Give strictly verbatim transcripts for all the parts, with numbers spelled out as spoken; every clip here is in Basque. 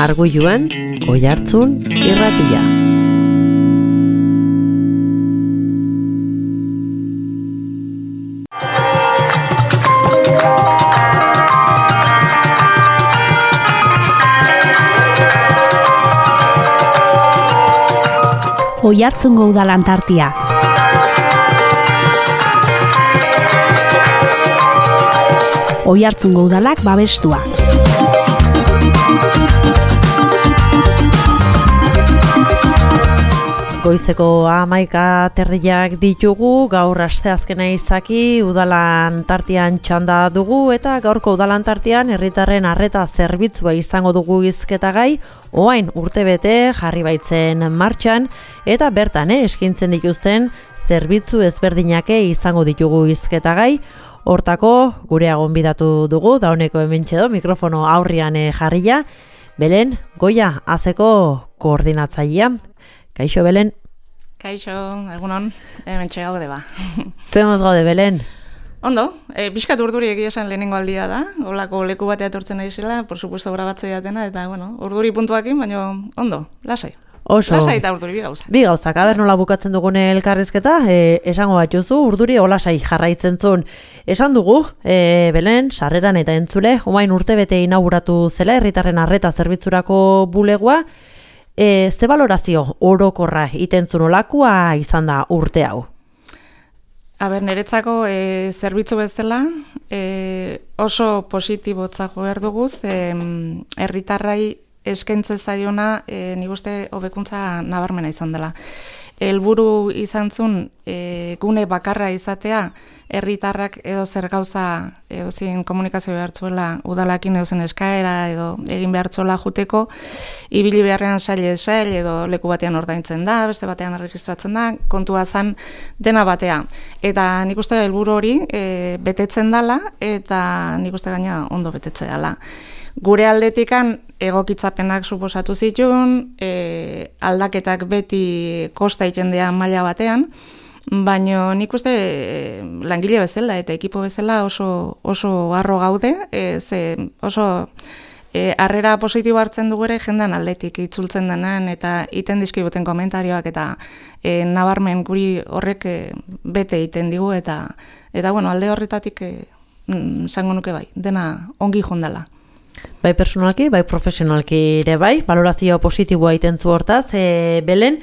Arguiluan, Oihartzun irratia. Oihartzungo udalan tartia. Oihartzungo udalak babestua. Goizeko hamaika terdiak ditugu, gaur asteazkena izaki udalan tartian txanda dugu eta gaurko udalan tartian herritarren arreta zerbitzua izango dugu hizketagai, orain urtebete jarri baitzen martxan eta bertan eh, eskintzen dituzten zerbitzu ezberdinake izango ditugu hizketagai. Hortako gure gonbidatu dugu, dauneko hementxe do, mikrofono aurrian jarria, Belen Goia azeko koordinatzailea. Kaixo, Belen? Kaixo, egunon, hementxe gaude ba. Zemaz gaude, Belen? Ondo, e, pixkat urduri egia esan lehenengo aldia da, holako leku batea etortzen naizela, por supuesto grabatzea jatena, eta bueno, urduri puntuakin, baina ondo, lasai. Oso. Lasai eta urduri bi gauza. Bi gauzak, aber nola bukatzen dugun elkarrizketa, e, esango batzuzu, urduri olasai jarraitzen zuen. Esan dugu, e, Belen, sarreran eta entzule, omain urtebete inauguratu zela, herritarren arreta zerbitzurako bulegoa, e, ze balorazio orokorra itentzun olakoa izan da urte hau? Aber, niretzako e, zerbitzu bezala e, oso positibotzako erduguz, e, herritarrai eskentze zaiona e, nik uste hobekuntza nabarmena izan dela. Helburu izan zuen e, gune bakarra izatea, herritarrak edo zer gauza edo zin komunikazio behartzuela udalakin edo zen eskaera edo egin behartzuela juteko, ibili beharrean saile sail edo leku batean ordaintzen da, beste batean erregistratzen da, kontua zan dena batea. Eta nik uste helburu hori e, betetzen dela eta nik uste gaina ondo betetzea dela. Gure aldetikan egokitzapenak suposatu zituen, e, aldaketak beti kosta itendea maila batean, baina nik uste e, langile bezala eta ekipo bezala oso, oso harro gaude, e, ze oso e, harrera positibo hartzen dugu ere jendan aldetik itzultzen denan eta iten dizkiguten komentarioak eta e, nabarmen guri horrek e, bete iten digu eta eta bueno, alde horretatik e, zango nuke bai, dena ongi jondala. Bai personalki, bai profesionalki ere bai, balorazio positiboa itenzu hortaz, e, Belen,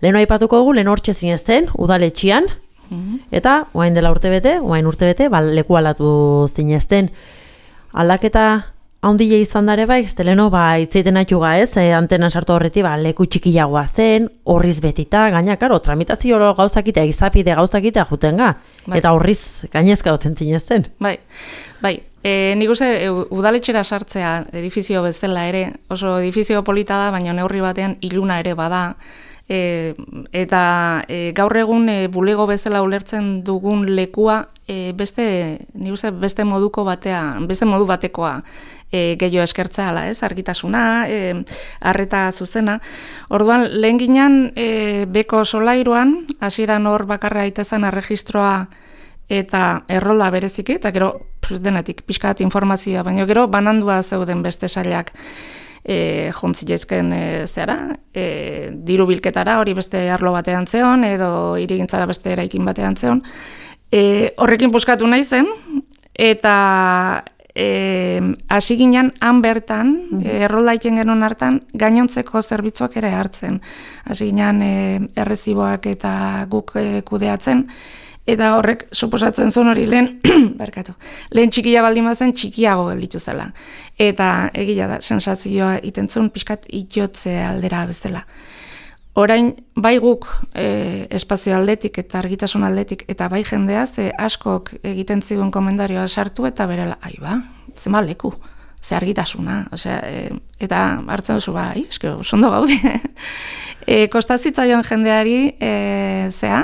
lehen aipatuko dugu, lehen hortxe zinezten, udaletxian, mm-hmm. eta oain dela urtebete, oain urtebete, ba, leku aldatu zinezten. Aldaketa haundile izan dare bai, ez leno, ba, itzeiten atxuga ez, e, antenan sartu horreti, ba, leku txikiagoa zen, horriz betita, gaina, karo, tramitazio gauzakita, egizapide gauzakita jutenga, bai. Eta horriz gainezka duten zinezten. Bai, bai. E, nik uste udaletxera sartzea edifizio bezala ere, oso edifizio polita da, baina neurri batean iluna ere bada, e, eta e, gaur egun e, bulego bezala ulertzen dugun lekua e, beste, nik uste beste moduko batea, beste modu batekoa e, gehiago eskertzea ala, ez, argitasuna, e, arreta zuzena. Orduan, lehen ginen e, beko solairuan, hasieran hor bakarra itezan erregistroa eta errola bereziki, eta gero denetik pixkat informazioa, baina gero banandua zeuden beste sailak e, jontzilezken e, zehara, e, diru bilketara hori beste arlo batean zeon, edo hirigintzara beste eraikin batean zeon. E, horrekin puskatu nahi zen, eta e, hasi ginen han bertan, mm-hmm. e, errola iten genuen hartan, gainontzeko zerbitzuak ere hartzen. Hasi ginen e, erreziboak eta guk e, kudeatzen, eta horrek suposatzen zuen hori lehen, barkatu, lehen txikia baldin bazen txikiago gelditu zela. Eta egia da, sensazioa itentzun pixkat itotze aldera bezala. Orain, bai guk e, espazio aldetik eta argitasun aldetik eta bai jendea, ze askok egiten zigun komentarioa sartu eta berela, ai ba, zema leku, ze argitasuna, osea, e, eta hartzen duzu bai, eske, ondo gaude. E, kostazitzaion jendeari, e, zea,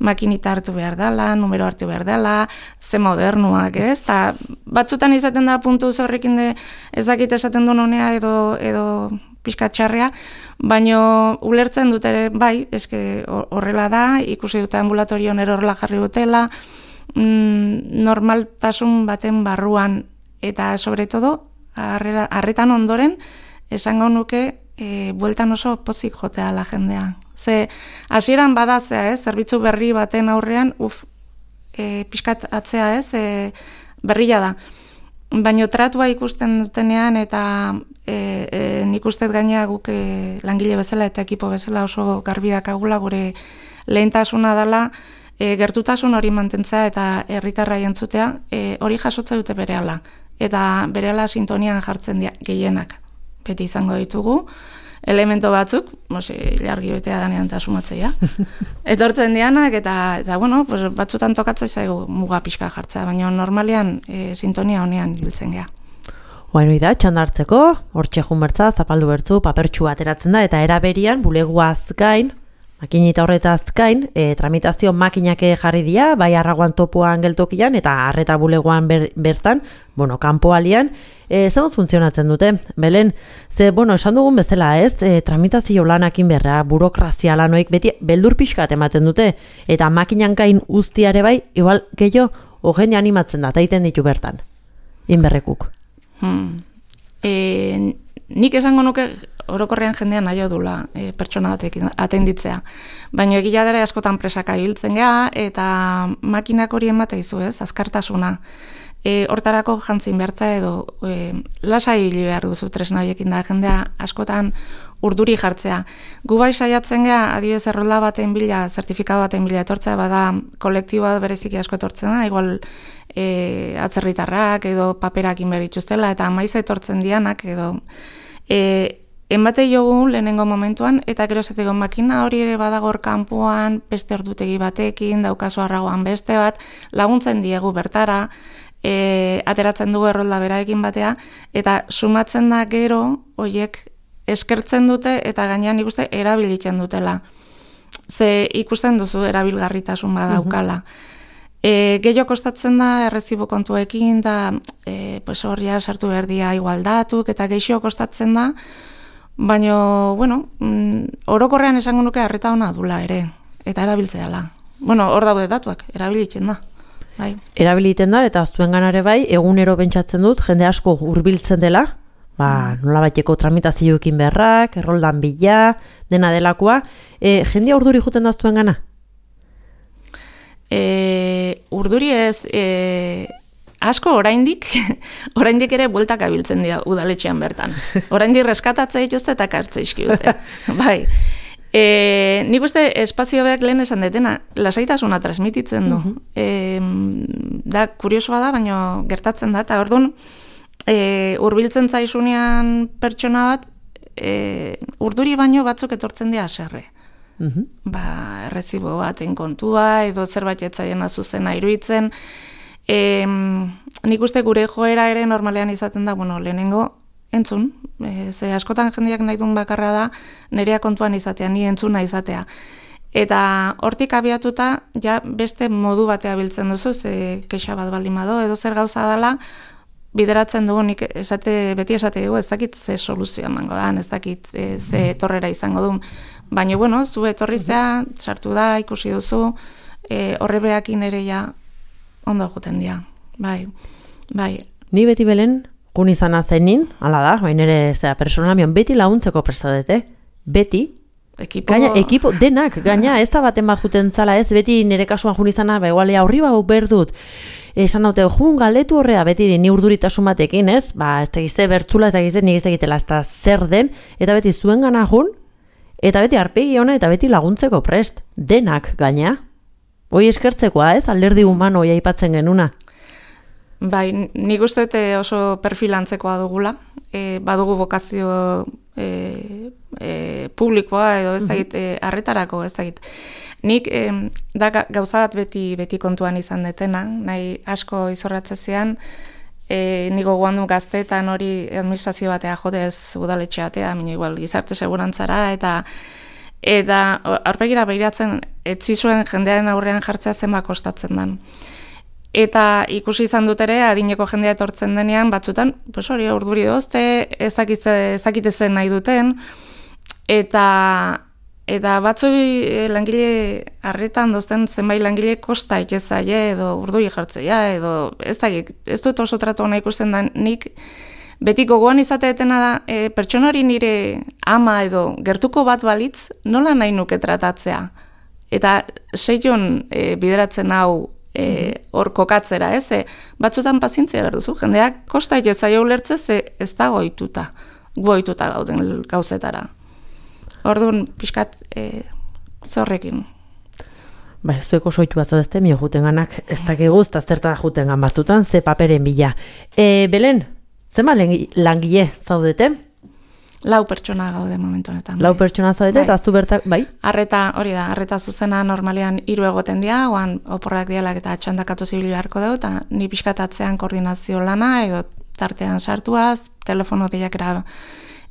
makinita hartu behar dela, numero hartu behar dela, ze modernuak, ez? Ta, batzutan izaten da puntu zorrekin de ezakit esaten duen honea edo, edo pixka txarrea, baino ulertzen dut ere, bai, eske horrela da, ikusi dute ambulatorion erorla jarri dutela, mm, normaltasun baten barruan, eta sobre todo, arretan ondoren, esango nuke e, bueltan oso pozik jotea la jendea. Ze hasieran badatzea, ez, zerbitzu berri baten aurrean, uf, e, pixkat atzea, ez, e, berria da. Baina tratua ikusten dutenean eta e, e, nik ustez gainea guk e, langile bezala eta ekipo bezala oso garbiak agula gure lehentasuna dela e, gertutasun hori mantentzea eta herritarra entzutea e, hori jasotze dute berehala. Eta berehala sintonian jartzen dia, gehienak. Beti izango ditugu. Elemento batzuk, mosi, jargi betea danean eta sumatzea. Etortzen dianak, eta, eta bueno, pues, batzutan tokatzen zaigu muga pixka jartzea, baina normalean e, sintonia honean ibiltzen gea. Bueno, da, txandartzeko, hortxe junbertza, zapaldu bertzu, papertxua ateratzen da, eta eraberian, buleguaz gain, makinita horretaz gain, e, tramitazio makinak jarri dira, bai arraguan topuan geltokian, eta arreta bulegoan ber, bertan, bueno, kanpoalian, e, zegoz funtzionatzen dute, Belen, ze, bueno, esan dugun bezala ez, e, tramitazio lanakin berra, burokrazia lanoik, beti beldur pixkat ematen dute, eta makinan gain uztiare bai, igual, gehiago, jende animatzen da, taiten ditu bertan, inberrekuk. Hmm. E, nik esango nuke orokorrean jendean nahi dula e, pertsona batek atenditzea. Baina egia dara askotan presaka ibiltzen gea eta makinak hori emate izu ez, azkartasuna. E, hortarako jantzin behartza edo e, lasai ibili behar duzu tresna horiekin da jendea askotan urduri jartzea. Gu bai saiatzen gea, adibidez errolda baten bila, zertifikatu baten bila etortzea, bada kolektiboa bereziki asko etortzen da, igual e, atzerritarrak edo paperakin behar dituztela, eta maiz etortzen dianak edo e, enbate jogu lehenengo momentuan, eta gero zeteko makina hori ere badagor kanpoan, beste ordutegi batekin, daukazu arragoan beste bat, laguntzen diegu bertara, e, ateratzen dugu errolda beraekin batea, eta sumatzen da gero, hoiek eskertzen dute, eta gainean ikuste erabilitzen dutela. Ze ikusten duzu erabilgarritasun badaukala. E, gehiago kostatzen da errezibo kontuekin, da e, pues horria sartu behar dia igualdatuk, eta gehiago kostatzen da, baina, bueno, mm, orokorrean esango nuke arreta ona dula ere, eta erabiltzea dela. Bueno, hor daude datuak, erabilitzen da. Bai. Erabiliten da, eta zuen ganare bai, egunero pentsatzen dut, jende asko hurbiltzen dela, ba, nola baiteko tramitazioekin beharrak, erroldan bila, dena delakoa, e, jendea urduri juten da zuen gana? E, urduri ez, e, asko oraindik, oraindik ere bueltak abiltzen dira udaletxean bertan. Oraindik reskatatzea dituzte eta kartze izkiute. Bai. E, nik uste espazio beak lehen esan detena, lasaitasuna transmititzen du. Uh-huh. E, da, kuriosoa da, baina gertatzen da, eta orduan, e, urbiltzen zaizunean pertsona bat, e, urduri baino batzuk etortzen dira aserre. Uh-huh. Ba, errezibo baten kontua, edo zerbait etzaien azuzena iruditzen. E, nik uste gure joera ere normalean izaten da, bueno, lehenengo entzun, e, ze askotan jendeak nahi duen bakarra da, nerea kontuan izatea, ni entzuna izatea. Eta hortik abiatuta, ja beste modu batea biltzen duzu, ze kexa bat baldin bado, edo zer gauza dela, bideratzen dugu, nik esate, beti esate dugu, ez dakit ze soluzioa emango da, ez dakit e, ze torrera izango duen. Baina, bueno, zu etorrizea, sartu da, ikusi duzu, e, horre behakin ere ja ondo juten dira. Bai, bai. Ni beti Belen, kun izan azenin, ala da, bain ere, zera, personalamion, beti laguntzeko prestadete, beti, Ekipo... gaina, ekipo, denak, gaina, ez da baten bat juten zala, ez, beti nire kasuan jun izana, ba, igualea horri bau berdut, esan daute, jun galdetu horrea, beti ni urduritasun batekin, ez, ba, ez tegize bertzula, ez tegize, nik ez tegitela, ez da zer den, eta beti zuen gana jun, eta beti arpegi ona, eta beti laguntzeko prest, denak, gaina, hoi eskertzekoa, ez, alderdi humano hoi aipatzen genuna. Bai, nik uste oso perfilantzekoa dugula, e, badugu bokazio e, e, publikoa edo ez dakit, e, arretarako ez dakit. Nik e, da gauza bat beti, beti kontuan izan detena, nahi asko izorratzezean, e, niko guandu gaztetan hori administrazio batea jote ez udaletxe batea, mina igual gizarte segurantzara, eta eta aurpegira behiratzen etzi zuen jendearen aurrean jartzea zenba kostatzen den. Eta ikusi izan dut ere, adineko jendea etortzen denean, batzutan, pues hori urduri dozte, ezakitezen nahi duten, eta eta batzu langile arretan dozten zenbait langile kosta itxezaie, edo urduri jartzea, edo ez da, ez dut oso tratu hona ikusten da, nik beti gogoan izateetena da, e, pertsona hori nire ama edo gertuko bat balitz, nola nahi nuke tratatzea. Eta seion e, bideratzen hau e, hor kokatzera, ez? E, batzutan pazientzia behar duzu, jendeak kosta itezaio ulertze ze ez da goituta, goituta gauden gauzetara. Orduan, pixkat, e, zorrekin. Ba, ez dueko soitu bat zadezte, mio juten ganak, ez dakigu, ez da zerta juten gan batzutan, ze paperen bila. E, Belen, zema langile zaudete? Lau pertsona gaude momentu honetan. Lau pertsona zaudete, bai. Eta aztu bertak, bai? Arreta, hori da, arreta zuzena normalean hiru egoten dira, oan oporrak dialak eta txandakatu zibil beharko dugu, eta ni pixkatatzean koordinazio lana, edo tartean sartuaz, telefono deiakera,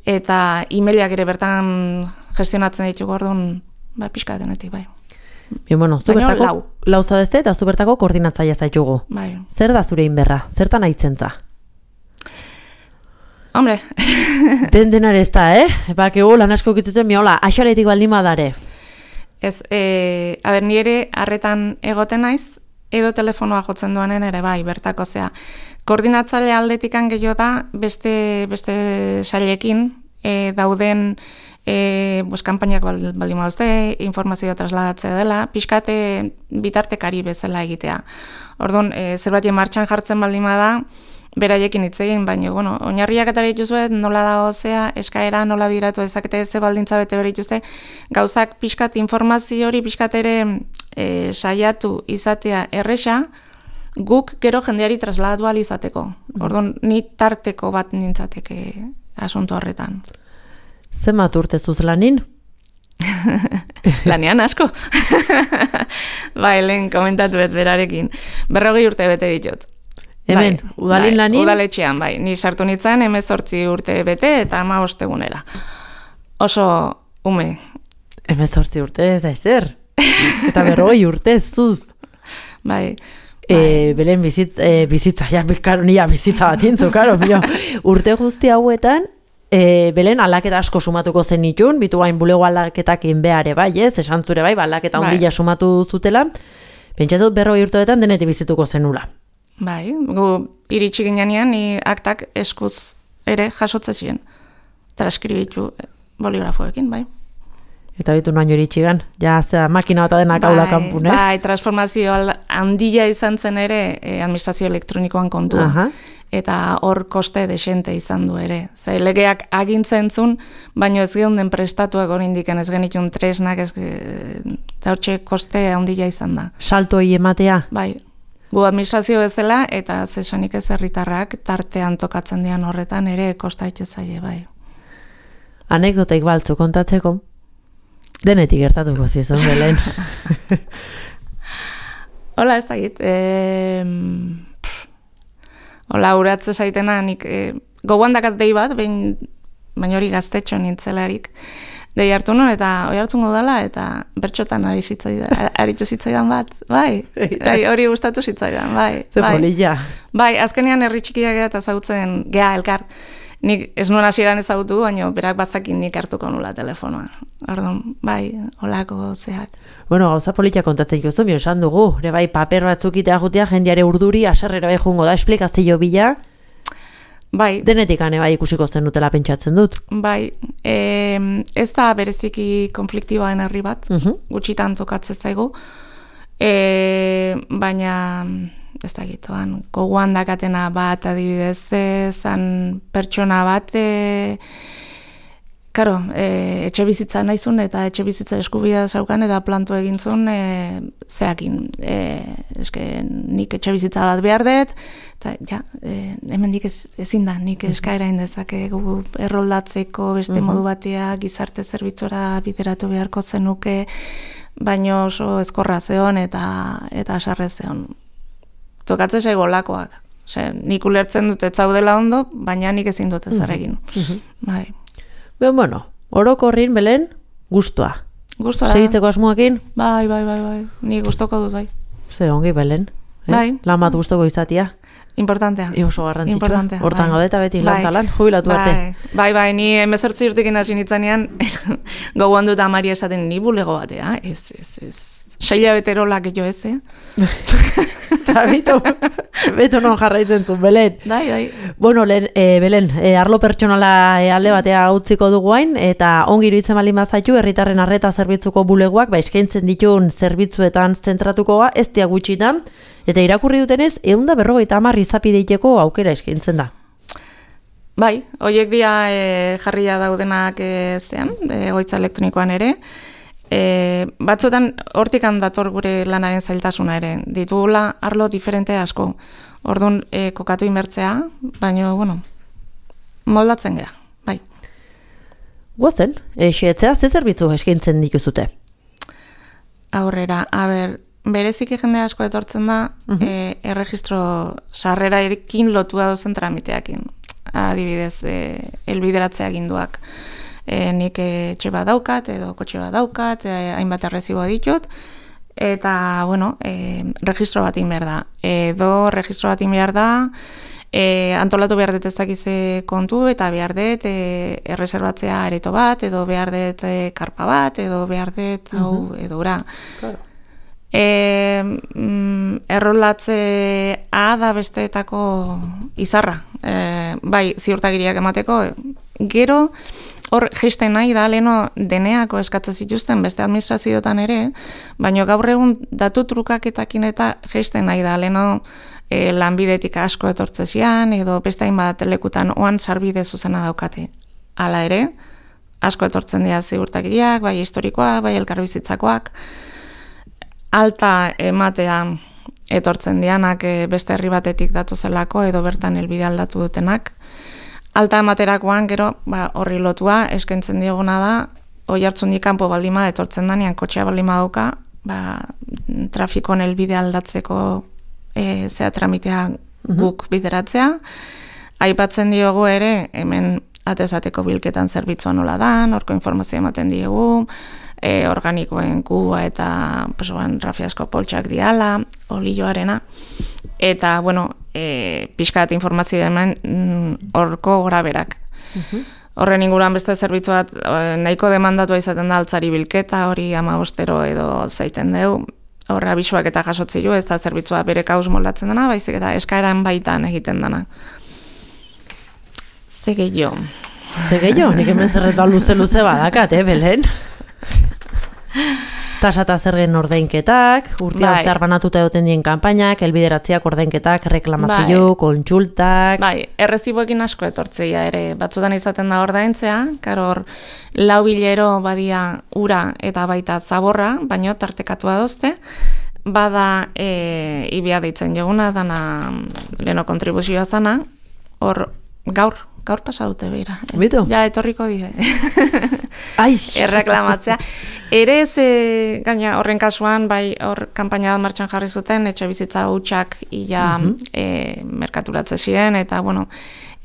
eta e-mailak ere bertan gestionatzen ditugu orduan, ba, pixkatenetik, bai. Bien, bueno, zu Baina bertako lau. lau zaudezte, eta zu bertako koordinatzaia zaitugu. Bai. Zer da zure inberra? Zertan aitzentza? Hombre. Den denare ez da, eh? Bakigu lan asko kitzuten miola, axaletik baldin badare. Ez, e, aber, ni ere harretan egoten naiz, edo telefonoa jotzen duanen ere bai, bertako zea. Koordinatzaile aldetikan gehiago da, beste, beste sailekin, e, dauden e, pues, kanpainak baldin baduzte, informazioa trasladatzea dela, pixkate bitartekari bezala egitea. Orduan, e, zerbait martxan jartzen baldin bada, beraiekin hitz egin, baina, bueno, oinarriak eta dituzuet, nola da ozea, eskaera, nola biratu ezakete, ze baldintza bete bere dituzte, gauzak pixkat informazio hori, pixkat ere e, saiatu izatea erresa, guk gero jendeari trasladatu ahal izateko. Orduan, ni tarteko bat nintzateke asunto horretan. Zenbat urte zuz lanin? Lanean asko. Bai, lehen komentatu bet berarekin. Berrogei urte bete ditut. Hemen, bai, udalin bai, lanin? Udaletxean, bai. Ni sartu nintzen hemezortzi urte bete eta hamabost egunera. Oso ume. Hemezortzi urte ez da ezer. Eta berrogei urte zuz. Bai. E, Belen bizitz, e, bizitza, ja, karo, nia bizitza bat intzu, karo, urte guzti hauetan, e, Belen aldaketa asko sumatuko zen itun, bitu bain bulego aldaketak inbeare bai, ez, esan zure bai, aldaketa bai. ondila sumatu zutela, pentsatut berrogei urteetan denetik bizituko zenula. Bai, gu iritsi ginean, ni aktak eskuz ere jasotze ziren. Transkribitu boligrafoekin, bai. Eta bitu noaino iritxigan, ja, zera, makina bat adenak haula kanpun, eh? Bai, transformazio handia izan zen ere eh, administrazio elektronikoan kontua. Aha. Eta hor koste desente izan du ere. Ze legeak agintzen zun, baino ez geunden prestatuak oraindiken ez genitun tresnak, ez eta hortxe koste handia izan da. Saltoi ematea? Bai, gu administrazio bezala, eta zesanik ez herritarrak tartean tokatzen dian horretan ere kosta itxezaile, bai. Anekdotaik baltzu kontatzeko? Denetik gertatuko zizun, Belen. Hola, ez dakit. E, hola, uratze zaitena, nik e, gogoan dakat dei bat, behin, baina hori gaztetxo nintzelarik. Dei hartu nuen, eta hori hartzungo dela, eta bertxotan ari zitzaidan, aritu zitzaidan bat, bai, bai, hori gustatu zitzaidan, bai. Ze bai. polilla. Bai, azkenean herri txikiak eta ezagutzen gea elkar. Nik ez nuen hasieran ezagutu, baina berak bazakin nik hartuko nula telefonoa. Orduan, bai, holako zeak. Bueno, gauza polita kontatzen jozu, bio esan dugu, ere bai, paper batzuk itea jutea, jendeare urduri, aserrera bai jungo da, esplikazio bila, bai, denetik ane bai ikusiko zen dutela pentsatzen dut. bai, e, ez da bereziki konfliktiboen herri bat, Uh-huh. gutxitan tokatzen zaigu, e, baina ez da gitoan, gogoan dakatena bat adibidez, zan pertsona bat, e, karo, e, etxe bizitza naizun eta etxe bizitza eskubidea zaukan eta planto egintzun e, zeakin, e, eske nik etxe bizitza bat behar dut, eta ja, e, hemendik ez, ezin da, nik eskaera indezakegu erroldatzeko beste Uh-huh. modu batea gizarte zerbitzura bideratu beharko zenuke, baino oso ezkorra zeon eta, eta asarre zeon. Tokatzen zaigo lakoak. Ose, nik ulertzen dut ez zaudela ondo, baina nik ezin dut ezer egin. Uh-huh. Bai. Ben, bueno, orokorrin, Belen, gustua. Gustora. Segitzeko asmoakin? Bai, bai, bai, bai. Ni gustoko dut, bai. Ze ongi, Belen. Eh? Bai. Lan bat gustoko izatia. Importantea. E oso garrantzitsua. Importantea, Hortan bai. gaudeta beti Bai. lan talan, jubilatu arte. Bai, bai, bai, ni hemezortzi urtekin hasi nitzanean, gogoan dut amari esaten ni bulego batea, ez, ez, ez, Saila beterolak jo ez, eh? Eta bitu, beto non jarraitzen zuen, Belen. Dai, dai. Bueno, lehen, e, Belen, e, arlo pertsonala e, alde batea utziko dugu hain, eta ongi iruditzen baldin bazaitu, herritarren arreta zerbitzuko bulegoak, ba, eskaintzen ditun zerbitzuetan zentratukoa, ez dia gutxitan, eta irakurri dutenez, ehun eta berrogeita hamar izapideiteko aukera eskaintzen da. Bai, horiek dia e, jarria daudenak e, zean, egoitza elektronikoan ere, E, batzutan hortikan dator gure lanaren zailtasuna ere, ditugula arlo diferente asko, orduan e, kokatu inbertzea, baina, bueno, moldatzen gea, bai. Guazen, esetzea ze zerbitzu eskaintzen dituzute? Aurrera, a ber, bereziki jende asko etortzen da, uh-huh. e, erregistro sarrera erekin lotua dozen tramiteakin, adibidez, e, elbideratzea ginduak. E, nik etxe bat daukat, edo kotxe bat daukat, e, hainbat errezibo ditut, eta, bueno, e, registro bat inber da. Edo registro bat inber da, e, antolatu behar dut ez dakize kontu, eta behar dut e, erreserbatzea areto bat, edo behar dut e, karpa bat, edo behar dut, uh-huh. hau, edo ura. Claro. E, mm, errolatzea da besteetako izarra. E, bai, ziurtagiriak emateko, gero, hor geisten nahi da, leheno deneako eskatzen zituzten beste administrazioetan ere, baina gaur egun datu trukaketakin eta geisten nahi da, leheno e, lanbidetik asko etortzezian, edo beste hainbat lekutan oan sarbide zuzena daukate. Hala ere, asko etortzen dira ziurtagiriak, bai historikoak, bai elkarbizitzakoak, alta ematea etortzen dianak e, beste herri batetik datozelako, edo bertan helbide aldatu dutenak. Alta ematerakoan, gero, ba, horri lotua, eskaintzen dioguna da, hoi hartzun kanpo baldima etortzen danean, kotxea baldima dauka, ba, trafikon helbide aldatzeko e, zea tramitea guk bideratzea. Aipatzen diogu ere, hemen atezateko bilketan zerbitzua nola dan, horko informazio ematen diogu, e, organikoen kua eta pesoan rafiasko poltsak diala, olioarena, eta, bueno, e, pixkat informazio hemen horko mm, graberak. Uh-huh. Horren inguruan beste zerbitzu bat nahiko demandatua izaten da altzari bilketa, hori amabostero edo zaiten deu, horre abisuak eta jasotzilu, ez da zerbitzua bere kauz moldatzen dena, baizik eta eskaeran baitan egiten dena. Ze gehiago. Ze gehiago, nik hemen zerretan luze-luze badakat, eh, Belen? Tasa eta zergen ordainketak, urtean bai. Zehar banatuta egoten dien kanpainak, elbideratziak ordainketak, reklamazio, bai. Kontsultak... Bai, erreziboekin asko etortzeia ere, batzutan izaten da ordaintzea, karo hor, lau bilero badia ura eta baita zaborra, baino tartekatua dozte, bada e, ibia deitzen joguna, dana leno kontribuzioa zana, hor gaur, gaur pasa dute beira. Bitu? Ja, etorriko die. Aix! Erreklamatzea. Ere ze, gaina horren kasuan, bai hor kanpaina bat martxan jarri zuten, etxe bizitza hutsak ia uh-huh. e, merkaturatze ziren, eta bueno,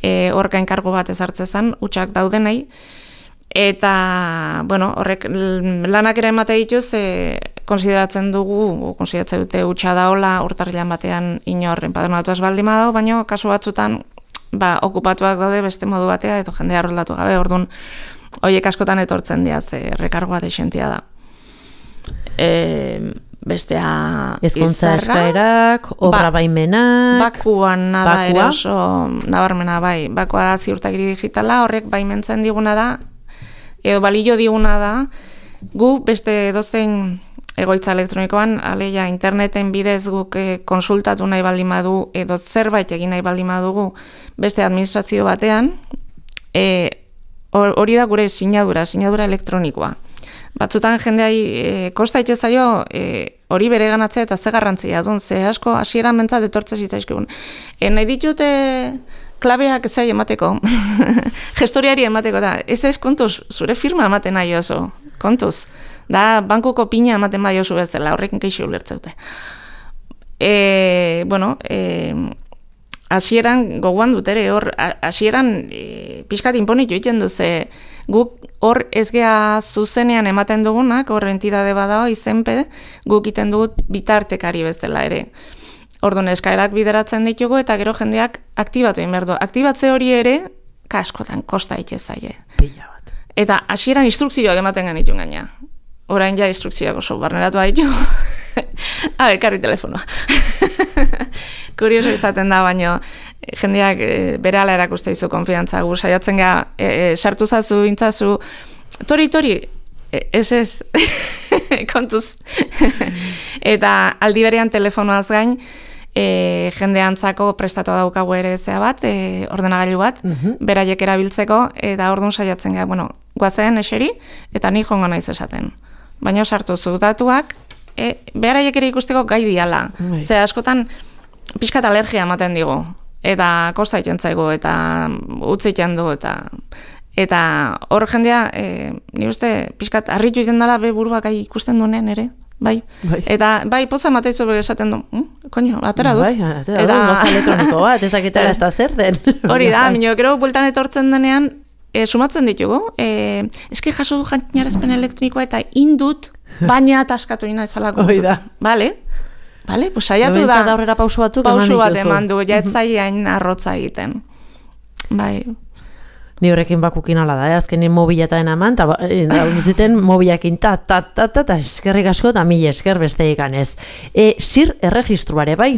e, hor gainkargo bat ezartze zen, hutsak daudenei, eta bueno, horrek lanak ere emate dituz, e, konsideratzen dugu, konsideratzen dute hutsa daola, urtarrilan batean inor enpadronatu ez baldin badau, baina kasu batzutan ba, okupatuak daude beste modu batea, edo jendea arrolatu gabe, orduan, horiek askotan etortzen dira, ze rekargoa desentia da. E, bestea ezkontza eskaerak, obra ba, baimenak... Bakuan nada ere oso nabarmena bai. Bakua ziurtagiri digitala, horrek baimentzen diguna da, edo balio diguna da, gu beste dozein egoitza elektronikoan, aleia interneten bidez guk e, konsultatu nahi baldin badu, edo zerbait egin nahi baldin badugu beste administrazio batean, e, hori da gure sinadura, sinadura elektronikoa. Batzutan jendeai e, kosta itxezaio e, hori bere ganatzea eta ze garrantzia duen, ze asko hasieran mentzat etortze zitzaizkigun. E, nahi ditute klabeak ezai emateko, gestoriari emateko, da, ez ez kontuz, zure firma ematen nahi oso, kontuz. Da, bankuko pina ematen bai oso bezala, horrekin keixi ulertzeute. E, bueno, e, hasieran gogoan dut ere, hor, hasieran e, pixkat inponitu egiten duze, guk hor ez gea zuzenean ematen dugunak, hor entidade badao, izenpe, guk iten dugut bitartekari bezala ere. Orduan eskaerak bideratzen ditugu eta gero jendeak aktibatu egin behar du. Aktibatze hori ere, kaskotan, kosta itxezaile. Pila bat. Eta hasieran instrukzioak ematen genitun gaina. orain ja instrukzioak oso barneratu ditu. A ber, karri telefonoa. Kurioso izaten da, baino jendeak e, bere ala erakuste dizu konfiantza, gu saiatzen ga, e, e, sartu zazu, intzazu, tori, tori, e, ez ez, kontuz. Eta aldi berean telefonoaz gain, e, jendeantzako prestatua daukagu ere zea bat, e, ordenagailu bat, uh-huh. beraiek erabiltzeko, eta orduan saiatzen ga, bueno, guazen eseri, eta ni jongo naiz esaten. Baina sartu zu datuak, e, beraiek ere ikusteko gai diala. Bai. Ze askotan, pixkat alergia ematen digu, eta kosta egiten zaigu, eta utzi egiten du, eta eta hor jendea, e, ni uste, pixkat harritu egiten dela, be buruak gai ikusten duenean ere, bai. bai. Eta bai, poza mateizu bere esaten du, hm? Koño, atera dut. Bai, atera dut, goza elektroniko bat, ezakita ez da zer den. Hori da, minio, gero bultan etortzen denean, e, sumatzen ditugu, e, eski jaso du jantinarazpen elektronikoa, eta indut, baina ataskatu ina ezalako. Hoi da. Bale? Bale, pues saiatu da. Da aurrera pausu batzuk eman pausu dituzu. bat eman du, ja etzaiain arrotza egiten. Bai. Ni horrekin bakukin ala da, eh? Azkenin mobilataen eman, eta zuten mobilakin ta, ta, ta, ta, ta, eskerrik asko, eta mila esker beste ikanez. E, sir erregistruare, bai?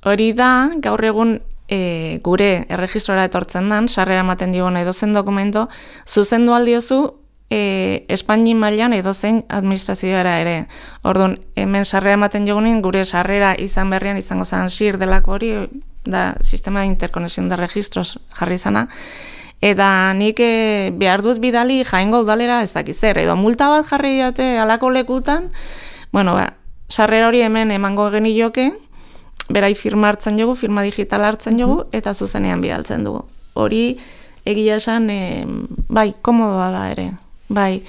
Hori da, gaur egun e, gure erregistrora etortzen dan, sarrera ematen digun edozen dokumento, zuzendu aldiozu, E, Espaini mailan edozein administrazioara ere. Orduan, hemen sarrera ematen jogunin, gure sarrera izan berrian izango zen sir delako hori, da sistema de interconexión de registros jarri zana, eta nik e, behar dut bidali Jaengo udalera ez dakiz zer, edo multa bat jarri diate alako lekutan, bueno, ba, sarrera hori hemen emango genioke, berai firma hartzen jogu, firma digital hartzen jogu, eta zuzenean bidaltzen dugu. Hori, egia esan, e, bai, komodoa da ere. Bai,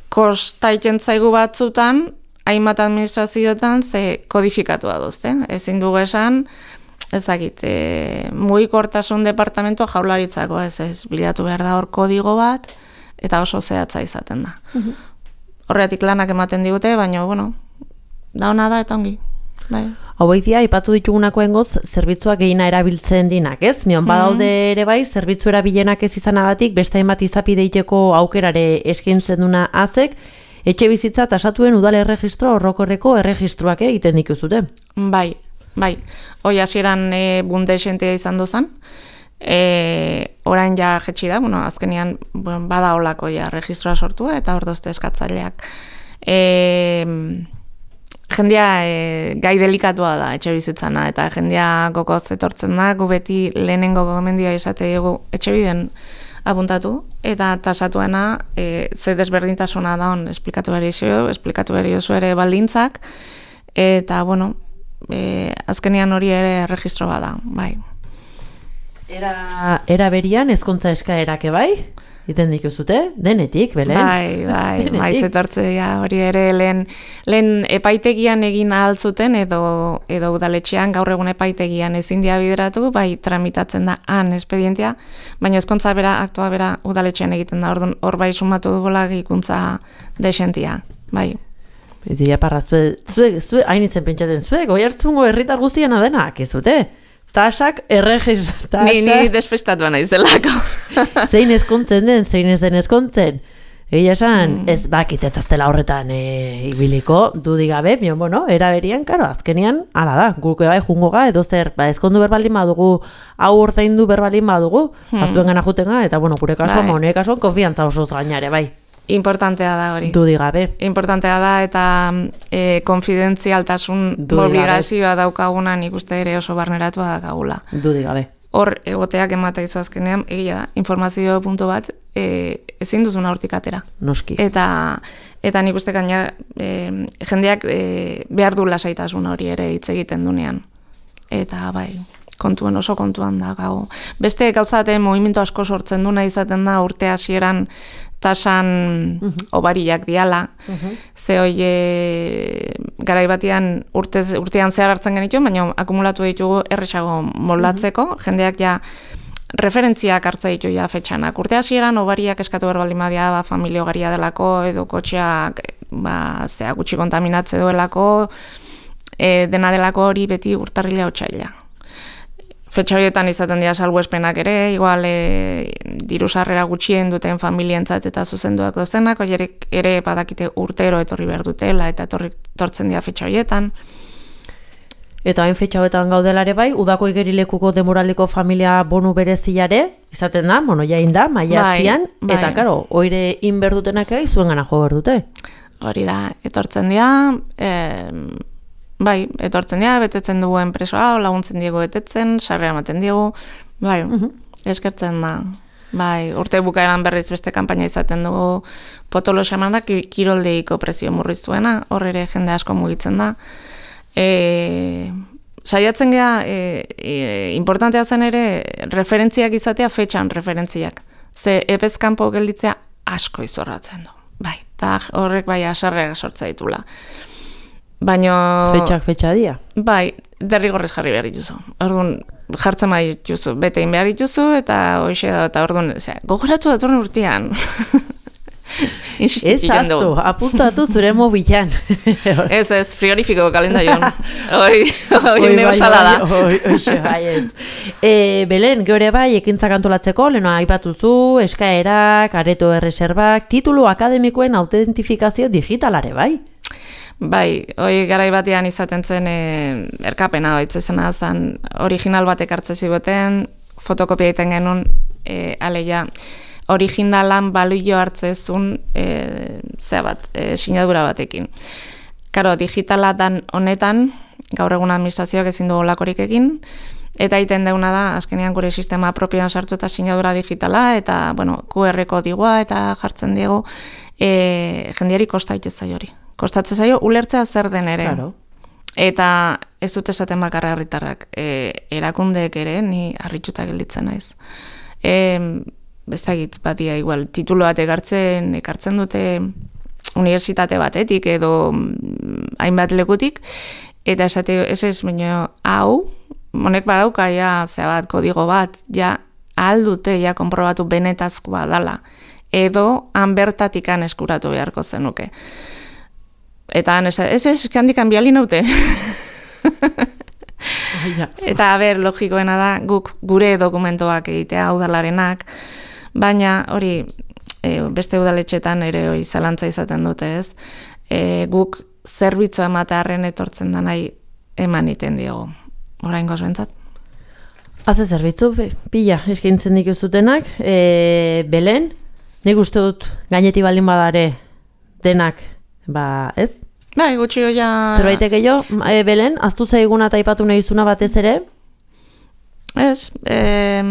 kosta egiten zaigu batzutan, hainbat administrazioetan ze kodifikatua duzte. Ezin dugu esan, ezagit, e, mugikortasun departamento jaurlaritzako ez ez, bilatu behar da hor kodigo bat, eta oso zehatza izaten da. Uh-huh. Horretik lanak ematen digute, baina, bueno, da ona da eta ongi. Bai. Haueitia, ipatu ditugunakoen goz, zerbitzuak gehiena erabiltzen dinak, ez? Nion, badaude ere bai, zerbitzu erabilenak ez izanagatik, beste hainbat izapideiteko aukerare eskaintzen duna azek, etxe bizitza tasatuen udal erregistro horrokorreko erregistruak egiten dituzute. Bai, bai. Hoi hasieran e, bunde esentea izan duzan, e, orain ja jetxi da, bueno, azkenian bueno, bada olako ja registroa sortu eta hor dozte eskatzaileak. E, Jendea e, gai delikatua da etxe bizitzana, eta jendea gokoz etortzen da, gu beti lehenengo gomendioa esate dugu etxe biden apuntatu, eta tasatuena e, ze desberdintasuna da hon esplikatu behar izo, esplikatu behar izo ere baldintzak, eta, bueno, e, azkenian hori ere registro bada, bai. Era, era berian ezkontza eskaerake bai? Iten dituzute, denetik, belen? Bai, bai, maiz etortzea hori ere lehen, lehen epaitegian egin ahal zuten edo, edo udaletxean gaur egun epaitegian ezin dia bideratu, bai tramitatzen da han espedientea, baina ezkontza bera, aktua bera udaletxean egiten da, orduan hor bai sumatu dugola gehikuntza desentia, bai. Beti aparra, zue, zue, zue, hainitzen pentsatzen zuek, oi hartzungo herritar guztian adenak, ez zute? Tasak erregistra. Ni, ni desfestatuan naizelako. Zein ezkontzen den, zein ez den ezkontzen. Egia esan, mm. ez bakit ez aztela horretan e, ibiliko, dudik gabe, bion, bueno, eraberian, karo, azkenian, ala da, guke bai jungo ga, edo zer, ba, ezkondu berbalin badugu, hau ordaindu berbalin badugu, mm. azuen gana jutenga, eta, bueno, gure kasuan, bai. Mone kasuan, konfiantza osoz gainare, bai. Importantea da hori. Dudik gabe. Importantea da, eta e, konfidentzialtasun obligazioa daukagunan ikuste ere oso barneratua daukagula. Dudik gabe. Hor, egoteak emata izu azkenean, egia da, informazio puntu bat, e, ezin duzuna hortik atera. Noski. Eta, eta nik uste gaina, e, jendeak e, behar du lasaitasun hori ere hitz egiten dunean. Eta, bai, kontuen oso kontuan da gau. Beste gauzate movimentu asko sortzen duna izaten da urte hasieran tasan uh-huh. obariak diala. Uh-huh. Ze hoi garai batean urte, urtean zehar hartzen genitu, baina akumulatu ditugu erresago moldatzeko. Uh-huh. Jendeak ja referentziak hartza ditu ja fetxanak. Urte hasieran obariak eskatu berbaldin badia ba, familia ogaria delako, edo kotxeak ba, zea gutxi kontaminatze duelako, e, dena delako hori beti urtarrila otsaila. fetxa horietan izaten dira salbuespenak ere, igual e, diru sarrera gutxien duten familientzat eta zuzenduak dozenak, oierek ere badakite urtero etorri behar dutela eta etorri tortzen dira fetxa horietan. Eta hain fetxa hoetan gaudelare bai, udako igerilekuko demoraldeko familia bonu berezilare, izaten da, bueno, jain da, maiatzian, bai, bai. eta karo, oire inberdutenak egi zuen gana jo berdute. Hori da, etortzen dira, e, bai, etortzen dira, betetzen dugu enpresoa, laguntzen diego betetzen, sarrera ematen diegu, bai, uh-huh. eskertzen da. Bai, urte bukaeran berriz beste kanpaina izaten dugu potolo xamanak kiroldeiko prezio murriztuena, hor ere jende asko mugitzen da. E, saiatzen gea, e, e, importantea zen ere, referentziak izatea fetxan referentziak. Ze epez kanpo gelditzea asko izorratzen du. Bai, eta horrek bai asarrega sortza ditula. Baina... Fetxak fetxa dia. Bai, derrigorrez jarri behar dituzu. Orduan, jartzen behar dituzu, betein behar dituzu, eta hoxe da, eta orduan, gogoratu datorren urtean. Ez aztu, apuntatu zure mobilan. Ez, ez, frigorifiko kalendaion. Oi, oi, neosala da. Oi, oi, bai, ez. Belen, geure bai, ekintzak antolatzeko, leheno aipatuzu, eskaerak, areto erreserbak, titulu akademikoen autentifikazio digitalare, bai? Bai, hoi garai batean izaten zen e, erkapena, oitzezena zen, original batek hartze zigoten, fotokopia egiten genuen, e, aleia, originalan balio hartzezun e, zea bat, e, sinadura batekin. Karo, digitala dan honetan, gaur egun administrazioak ezin dugu lakorik egin, eta egiten deuna da, azkenean gure sistema propioan sartu eta sinadura digitala, eta, bueno, Q R kodigua eta jartzen diegu, e, jendiari kostaitez zaio hori. Kostatzen zaio, ulertzea zer den ere. Claro. Eta ez dut esaten bakarra herritarrak, e, erakundeek ere, ni harrituta gelditzen naiz. E, Bezagit batia igual, titulo bat ekartzen, ekartzen dute unibertsitate batetik edo hainbat lekutik, eta esate, ez ez, baina hau, honek badauka, ja, zea bat, kodigo bat, ja, ahal dute, ja, konprobatu benetazkoa dala, edo han bertatikan eskuratu beharko zenuke. Eta han, ez ez, handikan biali naute. Eta, a ber, logikoena da, guk gure dokumentoak egitea, udalarenak, baina hori e, beste udaletxetan ere hori zalantza izaten dute ez, e, guk zerbitzua ematearen etortzen da nahi eman iten diogu. Oraingoz bentzat. Haze zerbitzu, pila eskaintzen dikuzutenak, e, Belen, nik uste dut gaineti baldin badare denak, ba, ez? Bai, gutxi hoia... Zerbaitek gehiago, e, Belen, aztu zaiguna eta aipatu nahi zuna batez ere? Ez, e,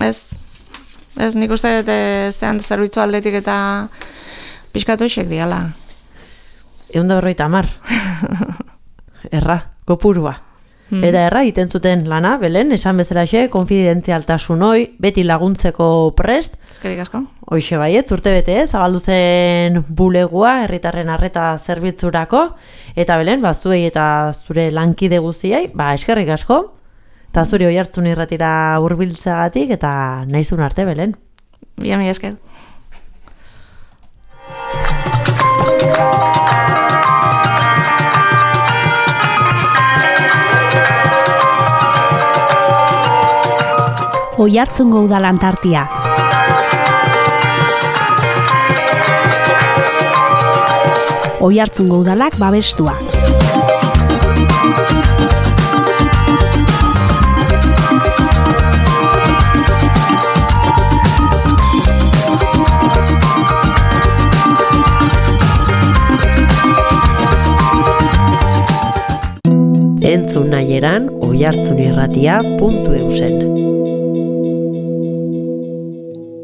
ez, ez, nik uste dut zean zerbitzu aldetik eta pixkatu isek diala. Egun da berroita amar. Erra, kopurua. Hmm. Eta erra, iten zuten lana, Belen, esan bezalaxe, konfidentzialtasun hoi, beti laguntzeko prest. Ezkerik asko. Hoixe baiet, urte bete ez, zabaldu zen bulegua, herritarren arreta zerbitzurako, eta Belen, ba, zuei eta zure lankide guztiai, ba, eskerrik asko, eta zuri hoi hartzun irratira hurbiltzeagatik eta nahizun arte, Belen. Ia, mi esker. Oiartzungo udalan tartia. Oiartzungo udalak babestua. Entzun nahieran oiartzunirratia puntu eusen.